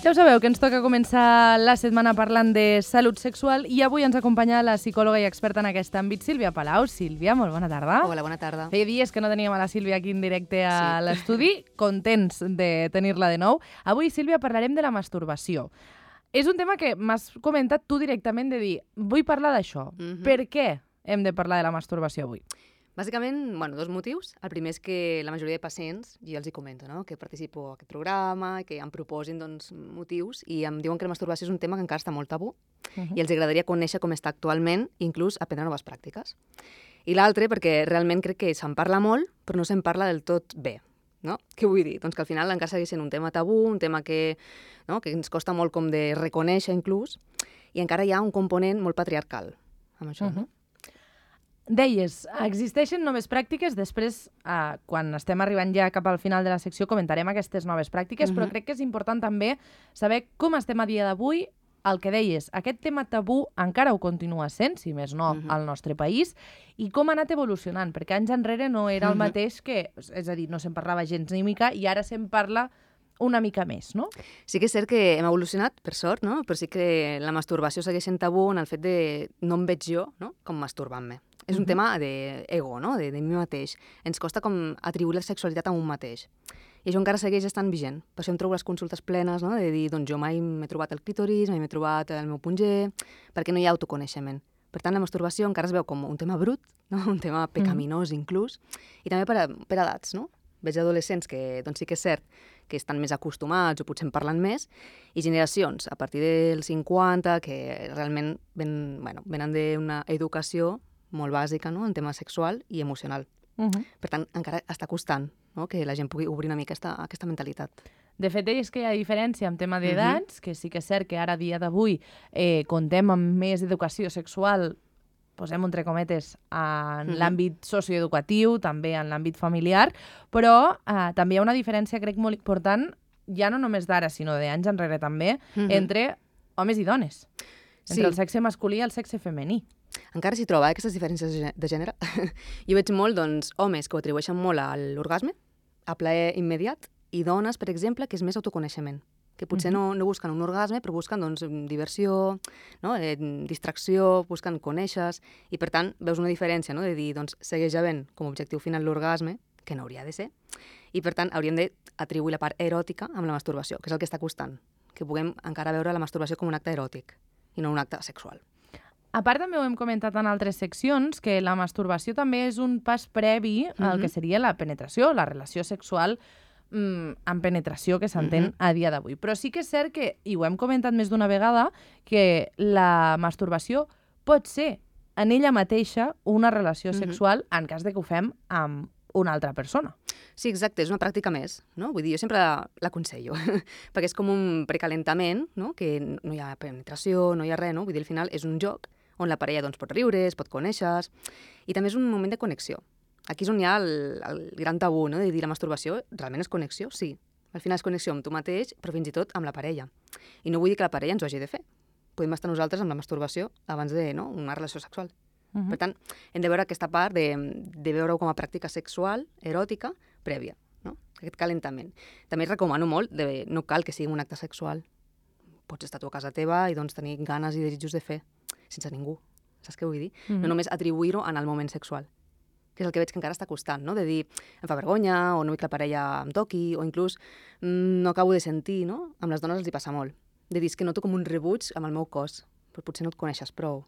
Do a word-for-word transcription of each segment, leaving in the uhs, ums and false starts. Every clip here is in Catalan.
Ja ho sabeu, que ens toca començar la setmana parlant de salut sexual i avui ens acompanya la psicòloga i experta en aquest àmbit, Sílvia Palau. Sílvia, molt bona tarda. Hola, bona tarda. Feia dies que no teníem a la Sílvia aquí en directe a Sí. l'estudi, contents de tenir-la de nou. Avui, Sílvia, parlarem de la masturbació. És un tema que m'has comentat tu directament de dir, vull parlar d'això. Mhm. Per què hem de parlar de la masturbació avui? Bàsicament, bueno, dos motius. El primer és que la majoria de pacients, jo els hi comento, no? que participo a aquest programa, que em proposin doncs, motius, i em diuen que la masturbació és un tema que encara està molt tabú, Uh-huh. i els agradaria conèixer com està actualment, inclús aprendre noves pràctiques. I l'altre, perquè realment crec que se'n parla molt, però no se'n parla del tot bé. No? Què vull dir? Doncs que al final encara segueix sent un tema tabú, un tema que, no? que ens costa molt com de reconèixer inclús, i encara hi ha un component molt patriarcal amb això. Uh-huh. No? Deies, existeixen noves pràctiques, després, eh, quan estem arribant ja cap al final de la secció, comentarem aquestes noves pràctiques, Mhm. però crec que és important també saber com estem a dia d'avui. El que deies, aquest tema tabú encara ho continua sent, si més no, Mhm. al nostre país, i com ha anat evolucionant, perquè anys enrere no era el Mhm. mateix que, és a dir, no se'n parlava gens ni mica, i ara se'n parla una mica més, no? Sí que és cert que hem evolucionat, per sort, no? Però sí que la masturbació segueix sent tabú en el fet de no em veig jo, no? com masturbant-me. És un Mhm. tema d'ego, no? de, de mi mateix. Ens costa com atribuir la sexualitat a un mateix. I això encara segueix estant vigent. Per això em trobo les consultes plenes, no? de dir, doncs jo mai m'he trobat el clítoris, mai m'he trobat el meu punt G, perquè no hi ha autoconeixement. Per tant, la masturbació encara es veu com un tema brut, no? un tema pecaminós inclús, i també per, a, per edats, no? Veig adolescents que doncs sí que és cert que estan més acostumats o potser en parlen més, i generacions a partir dels cinquanta que realment ven, bueno, venen d'una educació molt bàsica, no? en tema sexual i emocional. Uh -huh. Per tant, encara està costant, no? que la gent pugui obrir una mica aquesta, aquesta mentalitat. De fet, deies que hi ha diferència en tema d'edats, uh-huh. que sí que és cert que ara, a dia d'avui, eh, contem amb més educació sexual, posem entre cometes, en Mhm. l'àmbit socioeducatiu, també en l'àmbit familiar, però eh, també hi ha una diferència, crec, molt important, ja no només d'ara, sinó d'anys enrere també, Mhm. entre homes i dones, entre Sí. el sexe masculí i el sexe femení. Encara s'hi troba, eh, aquestes diferències de gè- de gènere. Jo veig molt, doncs, homes que ho atribueixen molt a l'orgasme, a plaer immediat, i dones, per exemple, que és més autoconeixement, que potser Mhm. no, no busquen un orgasme, però busquen doncs, diversió, no? eh, distracció, busquen conèixer, i per tant veus una diferència, no? de dir, doncs, segueix havent com a objectiu final l'orgasme, que no hauria de ser, i per tant hauríem d'atribuir la part eròtica amb la masturbació, que és el que està costant, que puguem encara veure la masturbació com un acte eròtic i no un acte sexual. A part, també ho hem comentat en altres seccions, que la masturbació també és un pas previ al Mhm. que seria la penetració, la relació sexual mm, amb penetració que s'entén Mhm. a dia d'avui. Però sí que és cert que, i ho hem comentat més d'una vegada, que la masturbació pot ser en ella mateixa una relació Mhm. sexual en cas de que ho fem amb una altra persona. Sí, exacte, és una pràctica més, no? Vull dir, jo sempre l'aconsello, perquè és com un precalentament, no? Que no hi ha penetració, no hi ha res, no? Vull dir, al final és un joc on la parella doncs, pot riure, es pot conèixer, i també és un moment de connexió. Aquí és on hi ha el, el gran tabú, no? De dir la masturbació realment és connexió, sí. Al final és connexió amb tu mateix, però fins i tot amb la parella. I no vull dir que la parella ens ho hagi de fer. Podem estar nosaltres amb la masturbació abans de no? una relació sexual. Uh -huh. Per tant, hem de veure aquesta part de, de veure-ho com a pràctica sexual, eròtica, prèvia, no? Aquest calentament. També recomano molt, de, no cal que sigui un acte sexual. Pots estar tu a casa teva i doncs, tenir ganes i desitjos de fer, sense ningú. Saps què vull dir? Uh -huh. No només atribuir-ho en el moment sexual, que és el que veig que encara està costant, no? De dir, em fa vergonya, o no vull que la parella em toqui, o inclús mm, no acabo de sentir, no? Amb les dones els hi passa molt. De dir, és que noto com un rebuig amb el meu cos, però potser no et coneixes prou.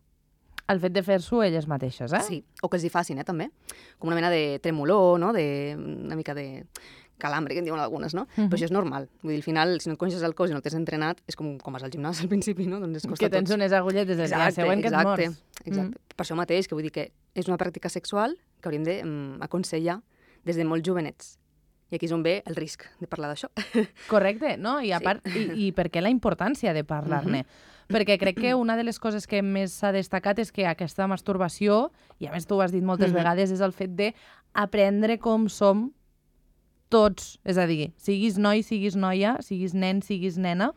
El fet de fer-s'ho elles mateixes, eh? Sí, o que els hi facin, eh, també. Com una mena de tremolor, no? De, una mica de calambre, que en diuen algunes, no? Uh-huh. Però això és normal. Vull dir, al final, si no et coneixes el cos i no t'has entrenat, és com, com vas al gimnàs al principi, no? Doncs es costa Que tens tots. unes agulletes del dia següent que et exacte, mors. exacte. Mm. Per això mateix, que vull dir que és una pràctica sexual que hauríem d'aconsellar des de molt jovenets. I aquí és on ve el risc de parlar d'això. Correcte, no? I a Sí. part, i, i per què la importància de parlar-ne? Mhm. Perquè crec que una de les coses que més s'ha destacat és que aquesta masturbació, i a més tu ho has dit moltes Mhm. vegades, és el fet de aprendre com som tots. És a dir, siguis noi, siguis noia, siguis nen, siguis nena,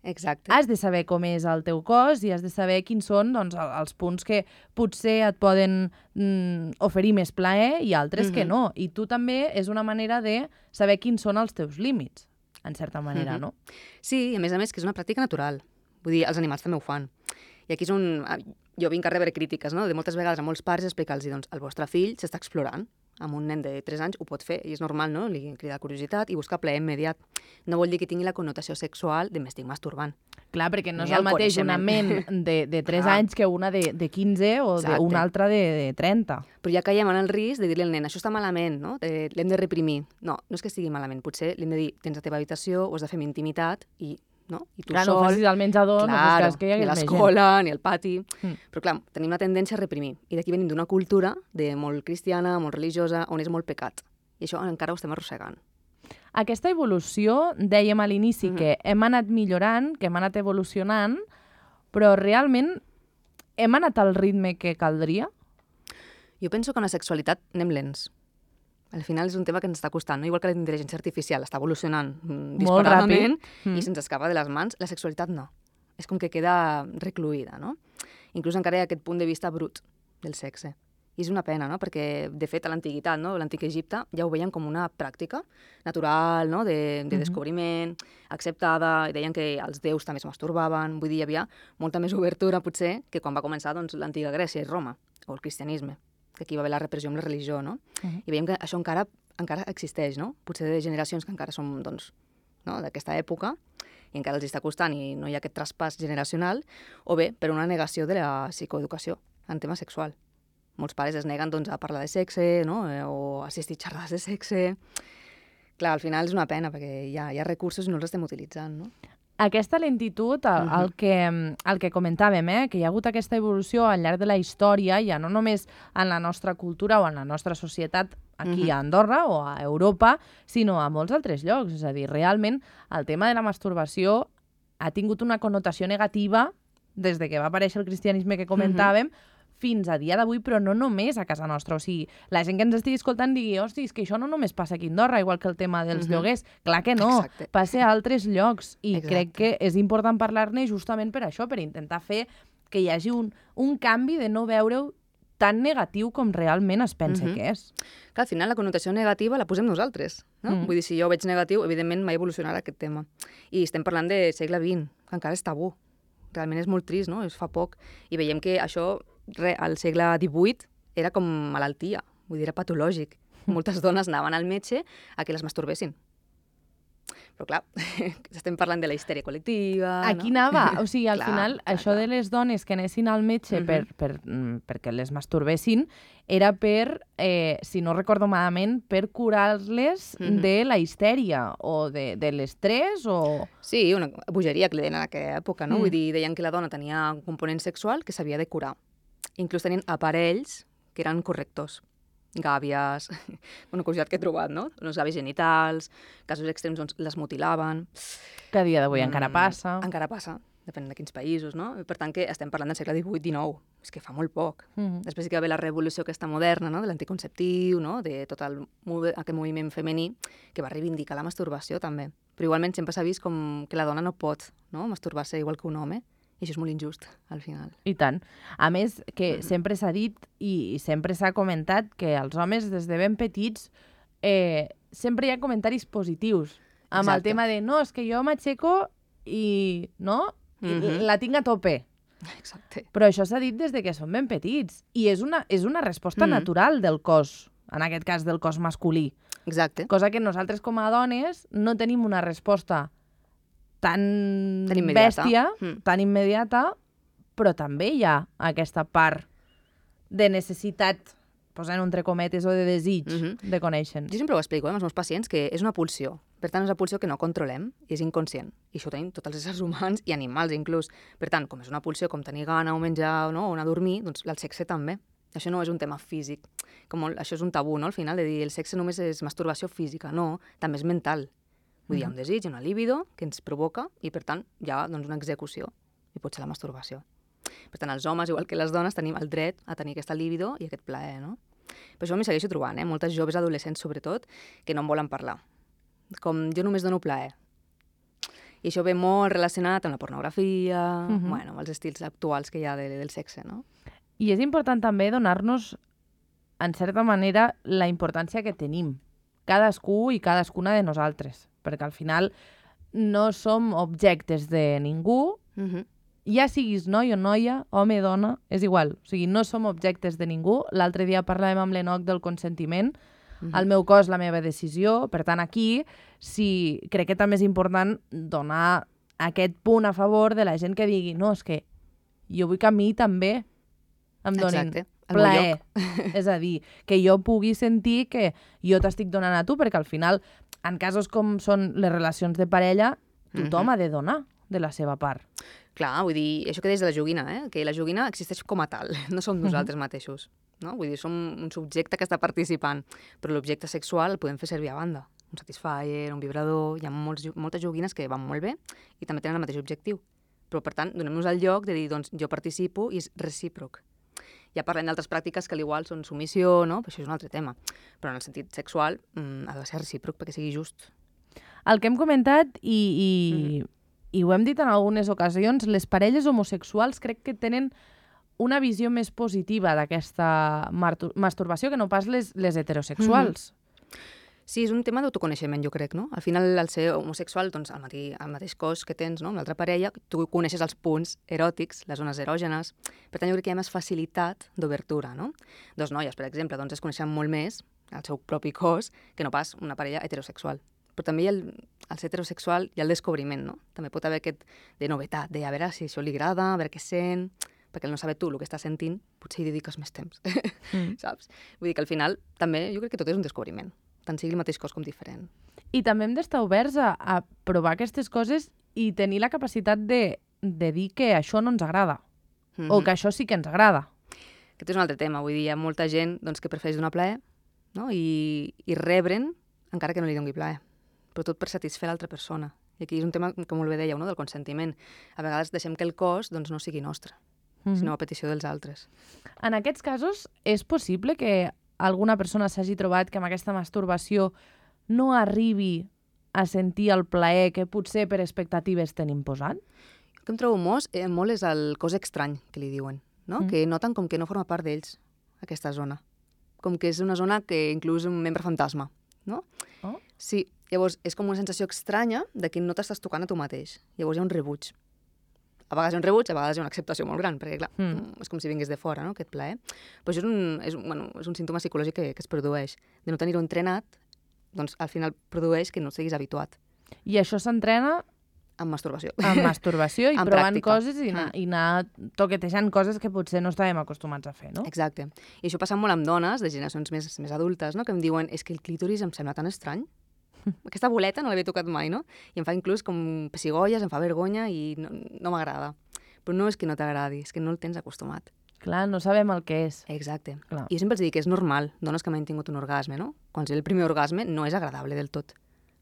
Exacte. has de saber com és el teu cos i has de saber quins són doncs, el- els punts que potser et poden mm, oferir més plaer i altres que Mhm. no. I tu també és una manera de saber quins són els teus límits. en certa manera, Mhm. no? Sí, i a més a més que és una pràctica natural. Vull dir, els animals també ho fan. I aquí és on jo vinc a rebre crítiques, no? De moltes vegades a molts pares explicar-los, doncs, el vostre fill s'està explorant. Amb un nen de tres anys ho pot fer, i és normal, no? Li crida la curiositat i busca plaer immediat. No vol dir que tingui la connotació sexual de m'estic masturbant. Clar, perquè no Ni és el el mateix una ment coneixement. de, de tres Clar. anys que una de, de quinze o Exacte. una altra de, de trenta. Però ja caiem en el risc de dir-li al nen, això està malament, no? Eh, l'hem de reprimir. No, no és que estigui malament. Potser li hem de dir, tens la teva habitació, ho has de fer amb intimitat, i, no? I tu Clar, sol... no ho facis al menjador, Claro, no fos cas que hi ni hagués a més gent. l'escola, ni al pati. Mm. Però clar, tenim la tendència a reprimir. I d'aquí venim d'una cultura de molt cristiana, molt religiosa, on és molt pecat. I això encara ho estem arrossegant. Aquesta evolució, dèiem a l'inici Mhm. que hem anat millorant, que hem anat evolucionant, però realment hem anat al ritme que caldria? Jo penso que en la sexualitat anem lents. Al final és un tema que ens està costant, no? Igual que la intel·ligència artificial està evolucionant mm, Molt disparadament ràpid. Mm. i se'ns escapa de les mans, la sexualitat no. És com que queda recluïda, no? Inclús encara hi ha aquest punt de vista brut del sexe. I és una pena, no? Perquè, de fet, a l'antiguitat, no? l'antic Egipte, ja ho veien com una pràctica natural, no? de, de Mhm. descobriment, acceptada, i deien que els déus també es masturbaven, vull dir, hi havia molta més obertura, potser, que quan va començar doncs, l'antiga Grècia i Roma, o el cristianisme, que aquí va haver la repressió amb la religió, no? Mhm. I veiem que això encara encara existeix, no? Potser de generacions que encara som, doncs, no? d'aquesta època, i encara els està costant i no hi ha aquest traspàs generacional, o bé per una negació de la psicoeducació en tema sexual. Molts pares es neguen doncs, a parlar de sexe, no? eh, o assistir a xerrades de sexe. Clar, al final és una pena, perquè hi ha, hi ha recursos i no els estem utilitzant, no? Aquesta lentitud, el, Mhm. el, que, el que comentàvem, eh? que hi ha hagut aquesta evolució al llarg de la història, ja no només en la nostra cultura o en la nostra societat aquí Mhm. a Andorra o a Europa, sinó a molts altres llocs. És a dir, realment el tema de la masturbació ha tingut una connotació negativa des de que va aparèixer el cristianisme que comentàvem, fins a dia d'avui, però no només a casa nostra. O sigui, la gent que ens estigui escoltant digui, hosti, és que això no només passa aquí a Andorra, igual que el tema dels Mhm. lloguers. Clar que no, Exacte. passa a altres llocs. I Exacte. crec que és important parlar-ne justament per això, per intentar fer que hi hagi un, un canvi de no veure-ho tan negatiu com realment es pensa Mhm. que és. Que al final la connotació negativa la posem nosaltres, no? Mm. Vull dir, si jo ho veig negatiu, evidentment mai evolucionarà aquest tema. I estem parlant de segle vint, que encara és tabú. Realment és molt trist, no? És fa poc. I veiem que això, re, al segle divuit, era com malaltia. Vull dir, era patològic. Moltes dones anaven al metge a que les masturbessin. Però clar, estem parlant de la histèria col·lectiva... Aquí no? anava. O sigui, al Clar, final, clar, això clar. de les dones que anessin al metge Mhm. per, per, mm, perquè les masturbessin era per, eh, si no recordo malament, per curar-les Mhm. de la histèria o de, de l'estrès o... Sí, una bogeria que li deien en aquella època, no? Mm. Vull dir, deien que la dona tenia un component sexual que s'havia de curar. Inclús tenien aparells que eren correctors. Gàbies, una curiositat que he trobat, no? Uns gàbies genitals, casos extrems doncs les mutilaven. que a dia d'avui encara Mm, passa. Encara passa, depèn de quins països, no? Per tant, que estem parlant del segle divuit dinou, és que fa molt poc. Mhm. Després sí que va haver la revolució aquesta moderna, no? De l'anticonceptiu, no? De tot el, move- aquest moviment femení que va reivindicar la masturbació també. Però igualment sempre s'ha vist com que la dona no pot, no? masturbar-se igual que un home, i això és molt injust, al final. I tant. A més, que Mhm. sempre s'ha dit i, i sempre s'ha comentat que els homes, des de ben petits, eh, sempre hi ha comentaris positius amb el Exacte. tema de no, és que jo m'aixeco i, no? I Mhm. la tinc a tope. Exacte. Però això s'ha dit des de que són ben petits. I és una, és una resposta Mhm. natural del cos, en aquest cas del cos masculí. Exacte. Cosa que nosaltres com a dones no tenim una resposta tan, Tan immediata. bèstia, Mm. tan immediata, però també hi ha aquesta part de necessitat, posant entre cometes, o de desig Mhm. de conèixer. Jo sempre ho explico eh, amb els meus pacients, que és una pulsió. Per tant, és una pulsió que no controlem i és inconscient. I això ho tenim tots els éssers humans i animals inclús. Per tant, com és una pulsió com tenir gana o menjar no? o anar a dormir, doncs el sexe també. Això no és un tema físic. Com molt, això és un tabú, no? Al final, de dir el sexe només és masturbació física. No, també és mental. Vull dir, hi ha un desig, una libido que ens provoca i, per tant, hi ha doncs, una execució i pot ser la masturbació. Per tant, els homes, igual que les dones, tenim el dret a tenir aquesta libido i aquest plaer, no? Per això m'hi segueixo trobant, eh? Moltes joves adolescents, sobretot, que no en volen parlar. Com jo només dono plaer. I això ve molt relacionat amb la pornografia, Mhm. bueno, amb els estils actuals que hi ha de, del sexe, no? I és important també donar-nos, en certa manera, la importància que tenim, cadascú i cadascuna de nosaltres. Perquè al final no som objectes de ningú, Uh -huh. ja siguis noi o noia, home, dona, és igual. O sigui, no som objectes de ningú. L'altre dia parlàvem amb l'Enoc del consentiment. Uh -huh. El meu cos, la meva decisió. Per tant, aquí sí, crec que també és important donar aquest punt a favor de la gent que digui no, és que jo vull que a mi també em donin Exacte. plaer. És a dir, que jo pugui sentir que jo t'estic donant a tu, perquè al final, en casos com són les relacions de parella, tothom uh -huh. ha de donar de la seva part. Clar, vull dir, això que deies de la joguina, eh? Que la joguina existeix com a tal, no som nosaltres uh -huh. mateixos. No? Vull dir, som un subjecte que està participant, però l'objecte sexual el podem fer servir a banda. Un Satisfyer, un vibrador, hi ha molts, moltes joguines que van molt bé i també tenen el mateix objectiu. Però, per tant, donem-nos el lloc de dir, doncs, jo participo i és recíproc. Ja parlem d'altres pràctiques que, al igual, són submissió, no? Però això és un altre tema. Però en el sentit sexual mm, ha de ser recíproc perquè sigui just. El que hem comentat i, i, mm-hmm. i ho hem dit en algunes ocasions, les parelles homosexuals crec que tenen una visió més positiva d'aquesta masturbació que no pas les, les heterosexuals. Mm-hmm. Sí, és un tema d'autoconeixement, jo crec, no? Al final, al ser homosexual, doncs, el, mateix, el mateix cos que tens, no?, amb l'altra parella, tu coneixes els punts eròtics, les zones erògenes, per tant, jo crec que hi ha més facilitat d'obertura, no? Dos noies, per exemple, doncs es coneixen molt més el seu propi cos que no pas una parella heterosexual. Però també hi ha el, el ser heterosexual i el descobriment, no? També pot haver aquest de novetat, de a veure si això li agrada, a veure què sent, perquè el no saber tu el que estàs sentint, potser hi dediques més temps, mm. saps? Vull dir que al final també jo crec que tot és un descobriment, tant sigui el mateix cos com diferent. I també hem d'estar oberts a, a provar aquestes coses i tenir la capacitat de, de dir que això no ens agrada, mm-hmm. o que això sí que ens agrada. Aquest és un altre tema, vull dir, hi ha molta gent doncs, que prefereix donar plaer, no? I, i rebre'n encara que no li doni plaer, però tot per satisfer l'altra persona. I aquí és un tema, com molt bé dèieu, no? Del consentiment. A vegades deixem que el cos doncs, no sigui nostre, mm-hmm. sinó a petició dels altres. En aquests casos, és possible que alguna persona s'hagi trobat que amb aquesta masturbació no arribi a sentir el plaer que potser per expectatives tenim posat? El que em trobo molt, eh, molt és el cos estrany, que li diuen, no? Mm. Que noten com que no forma part d'ells, aquesta zona. Com que és una zona que inclús un membre fantasma, no? Oh. Sí, llavors és com una sensació estranya de que no t'estàs tocant a tu mateix. Llavors hi ha un rebuig. A vegades hi ha un rebuig, a vegades hi ha una acceptació molt gran, perquè, clar, mm. és com si vingués de fora, no?, aquest plaer. Però això és un, és, un, bueno, és un símptoma psicològic que, que es produeix. De no tenir-ho entrenat, doncs al final produeix que no siguis habituat. I això s'entrena amb masturbació. Amb masturbació i amb provant pràctica. coses i anar, i anar toquetejant coses que potser no estàvem acostumats a fer, no? Exacte. I això passa molt amb dones de generacions més, més adultes, no?, que em diuen és que el clítoris em sembla tan estrany. Aquesta boleta no l'havia tocat mai, no? I em fa inclús com pessigolles, em fa vergonya i no, no m'agrada. Però no és que no t'agradi, és que no el tens acostumat. Clar, no sabem el que és. Exacte. Clar. I jo sempre els dic que és normal, dones que mai han tingut un orgasme, no? Quan és el primer orgasme no és agradable del tot.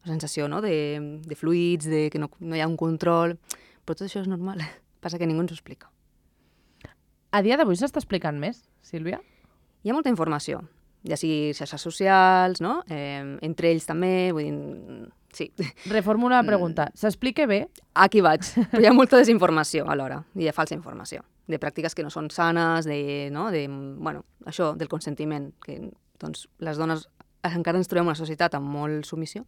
La sensació, no?, de, de fluids, de que no, no hi ha un control, però tot això és normal. Passa que ningú ens ho explica. A dia d'avui s'està explicant més, Sílvia? Hi ha molta informació, ja sigui xarxes socials, no?, eh, entre ells també, vull dir, sí. Reformula la pregunta. S'explica bé? Aquí vaig. Però hi ha molta desinformació alhora, i hi ha falsa informació, de pràctiques que no són sanes, de, no?, de, bueno, això, del consentiment, que, doncs, les dones encara ens trobem una societat amb molt submissió,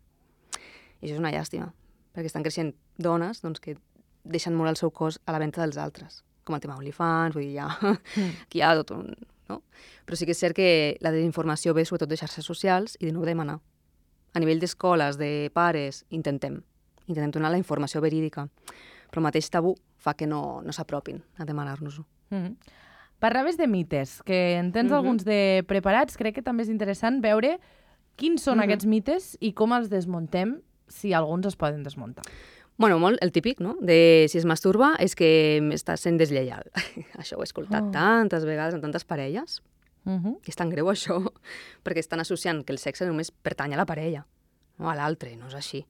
i això és una llàstima, perquè estan creixent dones, doncs, que deixen molt el seu cos a la venda dels altres, com el tema OnlyFans, vull dir, ja, mm. aquí hi ha tot un... No? Però sí que és cert que la desinformació ve sobretot de xarxes socials i de no ho demanar. A nivell d'escoles, de pares, intentem. Intentem donar la informació verídica. Però el mateix tabú fa que no, no s'apropin a demanar-nos-ho. Mm-hmm. Parlaves de mites, que en tens mm-hmm. alguns de preparats. Crec que també és interessant veure quins són mm-hmm. aquests mites i com els desmuntem, si alguns es poden desmuntar. Bueno, molt el típic, no?, de si es masturba és que estàs sent deslleial. Això ho he escoltat oh. tantes vegades en tantes parelles. Uh-huh. I és tan greu això, perquè estan associant que el sexe només pertany a la parella, no a l'altre, no és així.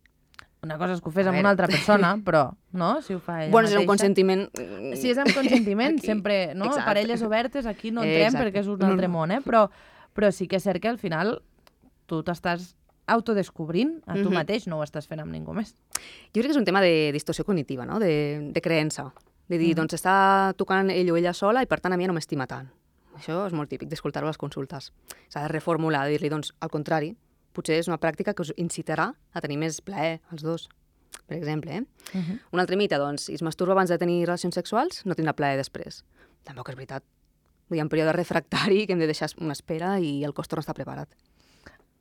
Una cosa és que ho fes amb una altra persona, però, no?, si ho fa ella bueno, mateixa. Bueno, és un consentiment... Si és amb consentiment, sempre, no?, Exacte. Parelles obertes, aquí no entrem Exacte. perquè és un altre món, eh? Però, però sí que és cert que al final tu t'estàs autodescobrint a tu mm-hmm. mateix, no ho estàs fent amb ningú més. Jo crec que és un tema de distorsió cognitiva, no?, de, de creença. De dir, mm-hmm. doncs està tocant ell o ella sola i per tant a mi no m'estima tant. Això és molt típic d'escoltar-ho a les consultes. S'ha de reformular, de dir-li, doncs, al contrari, potser és una pràctica que us incitarà a tenir més plaer als dos. per exemple. Eh? Uh -huh. Un altre mite, doncs, si es masturba abans de tenir relacions sexuals, no tindrà plaer després. Tampoc és veritat. Vull dir, en període refractari que hem de deixar una espera i el cos torna a estar preparat.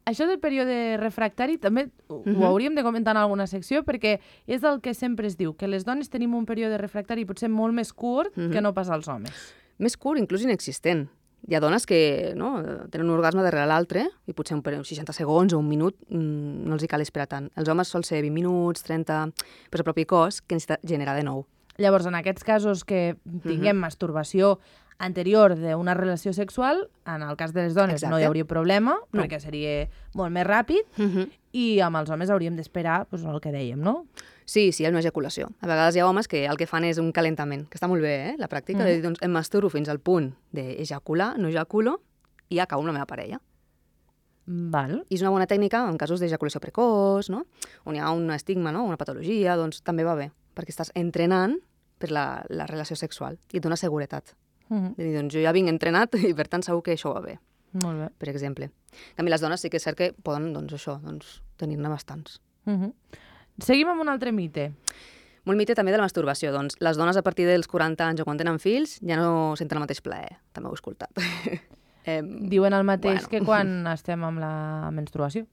Això del període refractari també ho, uh -huh. ho hauríem de comentar en alguna secció, perquè és el que sempre es diu, que les dones tenim un període refractari potser molt més curt uh -huh. que no pas als homes. Més curt, inclús inexistent. Hi ha dones que no, tenen un orgasme darrere l'altre i potser un període, seixanta segons o un minut mmm, no els hi cal esperar tant. Els homes sol ser vint minuts, trenta, però el propi cos que necessita generar de nou. Llavors, en aquests casos que tinguem uh -huh. masturbació anterior d'una relació sexual, en el cas de les dones Exacte. no hi hauria problema, no. perquè seria molt més ràpid, uh -huh. i amb els homes hauríem d'esperar doncs, el que dèiem, no? Sí, sí, hi ha una ejaculació. A vegades hi ha homes que el que fan és un calentament, que està molt bé, eh, la pràctica, uh -huh. de dir, doncs, em masturbo fins al punt d'ejacular, no ejaculo, i acabo amb la meva parella. Val. I és una bona tècnica en casos d'ejaculació precoç, no? On hi ha un estigma, no? Una patologia, doncs també va bé, perquè estàs entrenant per la, la relació sexual i et dona seguretat. Uh -huh. De dir, doncs jo ja vinc entrenat i per tant segur que això va bé. Molt bé. Per exemple. En canvi, les dones sí que és cert que poden, doncs això, doncs, tenir-ne bastants. Uh -huh. Seguim amb un altre mite. Molt mite també de la masturbació. Doncs les dones a partir dels quaranta anys o quan tenen fills ja no senten el mateix plaer. També ho he escoltat. eh, Diuen el mateix bueno. que quan estem amb la menstruació.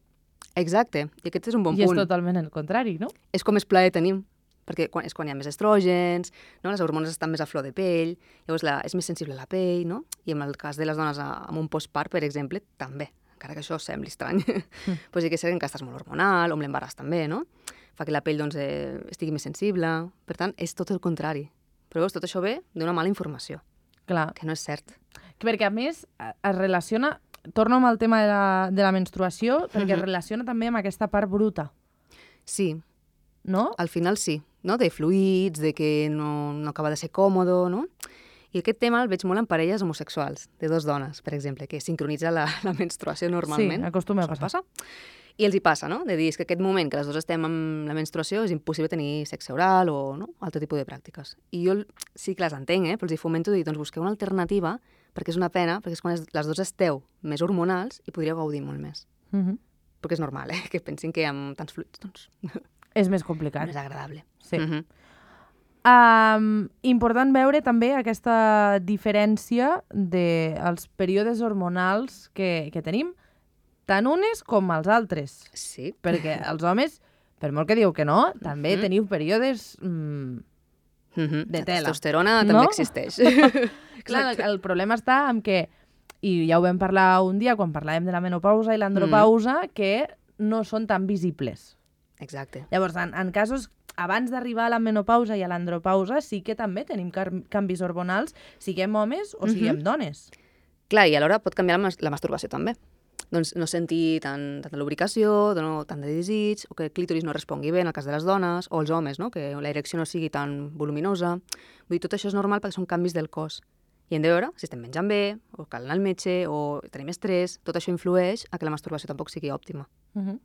Exacte. I aquest és un bon I punt. I és totalment el contrari, no? És com més plaer tenim. Perquè quan, és quan hi ha més estrògens, no? Les hormones estan més a flor de pell, llavors la, és més sensible a la pell, no? I en el cas de les dones amb un postpart, per exemple, també, encara que això sembli estrany. Mm. pues sí que és cert que estàs molt hormonal, o amb l'embaràs també, no? Fa que la pell doncs, eh, estigui més sensible. Per tant, és tot el contrari. Però veus, tot això ve d'una mala informació. Clar. Que no és cert. Perquè, a més, es relaciona... Torno amb el tema de la, de la menstruació, perquè mm-hmm. es relaciona també amb aquesta part bruta. Sí. No? Al final sí, no? De fluids, de que no, no acaba de ser còmodo, no? I aquest tema el veig molt en parelles homosexuals, de dos dones, per exemple, que sincronitza la, la menstruació normalment. Sí, acostuma a passar. Passa. I els hi passa, no? De dir és que aquest moment que les dues estem amb la menstruació és impossible tenir sexe oral o no? altre tipus de pràctiques. I jo sí que les entenc, eh? Però els hi fomento dir, doncs busqueu una alternativa, perquè és una pena, perquè és quan les dues esteu més hormonals i podríeu gaudir molt més. Mm-hmm. Perquè és normal, eh? Que pensin que amb tants fluids, doncs... És més complicat. Més agradable. Sí. Mm-hmm. Um, important veure també aquesta diferència dels períodes hormonals que, que tenim, tant unes com els altres. Sí. Perquè els homes, per molt que diu que no, també mm-hmm. teniu períodes mm, mm-hmm. de tela. La testosterona no? també existeix. Clar, el, el problema està en que, i ja ho vam parlar un dia quan parlàvem de la menopausa i l'andropausa, mm. que no són tan visibles. Exacte. Llavors, en, en casos abans d'arribar a la menopausa i a l'andropausa sí que també tenim canvis hormonals, siguem homes o siguem mm-hmm. dones. Clar, i alhora pot canviar la, mas la masturbació també. Doncs no sentir tant, tanta lubricació, no, tant de desig, o que el clítoris no respongui bé en el cas de les dones, o els homes, no? Que la erecció no sigui tan voluminosa. Vull dir, tot això és normal perquè són canvis del cos. I hem de veure si estem menjant bé, o cal anar al metge, o tenim estrès. Tot això influeix a que la masturbació tampoc sigui òptima. Mm-hmm.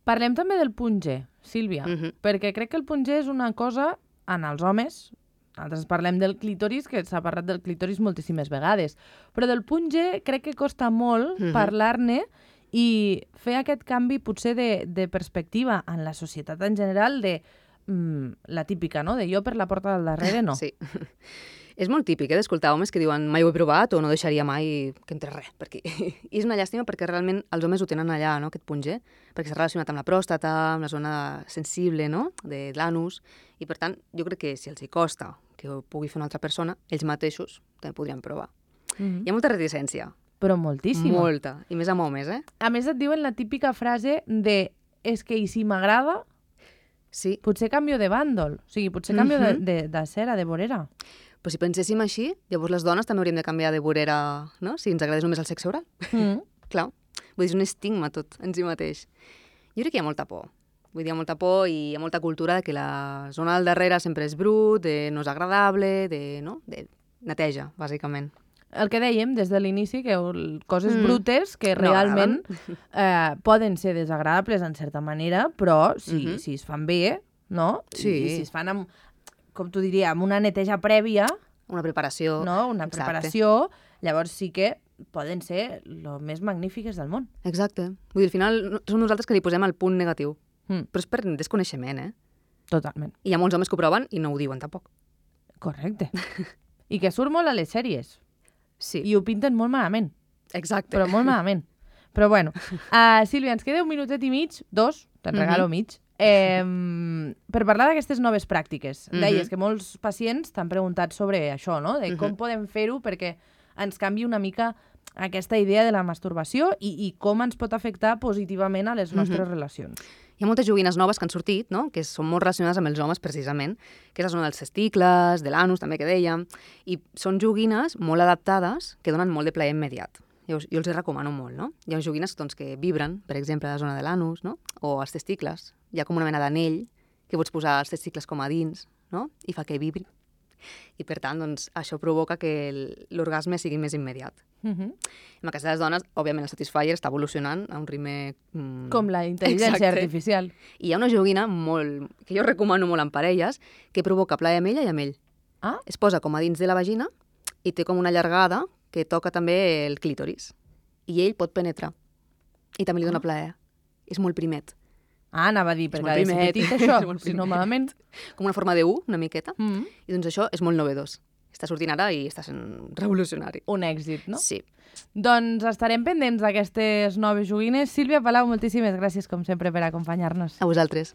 Parlem també del punt G, Sílvia, mm-hmm. perquè crec que el punt G és una cosa en els homes. Nosaltres parlem del clítoris, que s'ha parlat del clítoris moltíssimes vegades, però del punt G crec que costa molt mm-hmm. parlar-ne i fer aquest canvi potser de, de perspectiva en la societat en general de mm, la típica, no? De jo per la porta del darrere no. Sí. És molt típic, eh, d'escoltar homes que diuen mai ho he provat o no deixaria mai que entre res. Perquè... I és una llàstima perquè realment els homes ho tenen allà, no?, aquest punt G, perquè s'ha relacionat amb la pròstata, amb la zona sensible, no?, de l'anus, i per tant jo crec que si els hi costa que ho pugui fer una altra persona, ells mateixos també podrien provar. Mm-hmm. Hi ha molta reticència. Però moltíssima. Molta, i més amb homes, eh? A més et diuen la típica frase de és que i si m'agrada, sí. potser canvio de bàndol, o sigui, potser canvio mm-hmm. de, de, de cera, de vorera. Però si penséssim així, llavors les dones també hauríem de canviar de vorera, no?, si ens agradés només el sexe oral. Mm. Clar, vull dir, és un estigma tot en si mateix. Jo crec que hi ha molta por. Vull dir, hi ha molta por i hi ha molta cultura de que la zona del darrere sempre és brut, de no és agradable, de, no? de neteja, bàsicament. El que dèiem des de l'inici, que coses mm. brutes que no realment eh, poden ser desagradables en certa manera, però si, mm-hmm. si es fan bé, no? Sí. I si es fan amb, com t'ho diria, amb una neteja prèvia... Una preparació. No? Una Exacte. preparació, llavors sí que poden ser el més magnífiques del món. Exacte. Vull dir, al final som nosaltres que li posem el punt negatiu. Mm. Però és per desconeixement, eh? Totalment. I hi ha molts homes que ho proven i no ho diuen tampoc. Correcte. I que surt molt a les sèries. Sí. I ho pinten molt malament. Exacte. Però molt malament. Però bueno. Uh, Sílvia, ens queda un minutet i mig, dos, te'n regalo Mhm. mig, eh, per parlar d'aquestes noves pràctiques. Mhm. Deies que molts pacients t'han preguntat sobre això, no? De com Mhm. podem fer-ho perquè ens canvi una mica aquesta idea de la masturbació i, i com ens pot afectar positivament a les nostres relacions. Hi ha moltes joguines noves que han sortit, no? Que són molt relacionades amb els homes, precisament, que és la zona dels testicles, de l'anus, també, que dèiem, i són joguines molt adaptades que donen molt de plaer immediat. Jo, jo els recomano molt, no? Hi ha joguines doncs, que vibren, per exemple, a la zona de l'anus, no? O als testicles. Hi ha com una mena d'anell que pots posar els testicles com a dins, no? I fa que vibri. I, per tant, doncs, això provoca que el- l'orgasme sigui més immediat. Uh -huh. En el cas de les dones, òbviament, el Satisfyer està evolucionant a un ritme... Mm, Com la intel·ligència Exacte. artificial. I hi ha una joguina molt, que jo recomano molt en parelles que provoca plaer amb ella i amb ell. Ah, Es posa com a dins de la vagina i té com una llargada que toca també el clítoris. I ell pot penetrar. I també li dona Ah. plaer. És molt primet. ah anava a dir, perquè molt ha de ser primet. petit, És això, molt si no primet. malament. Com una forma de U, una miqueta. Mm. I doncs això és molt novedós. Està sortint ara i està sent revolucionari. Un èxit, no? Sí. Doncs estarem pendents d'aquestes noves joguines. Sílvia Palau, moltíssimes gràcies, com sempre, per acompanyar-nos. A vosaltres.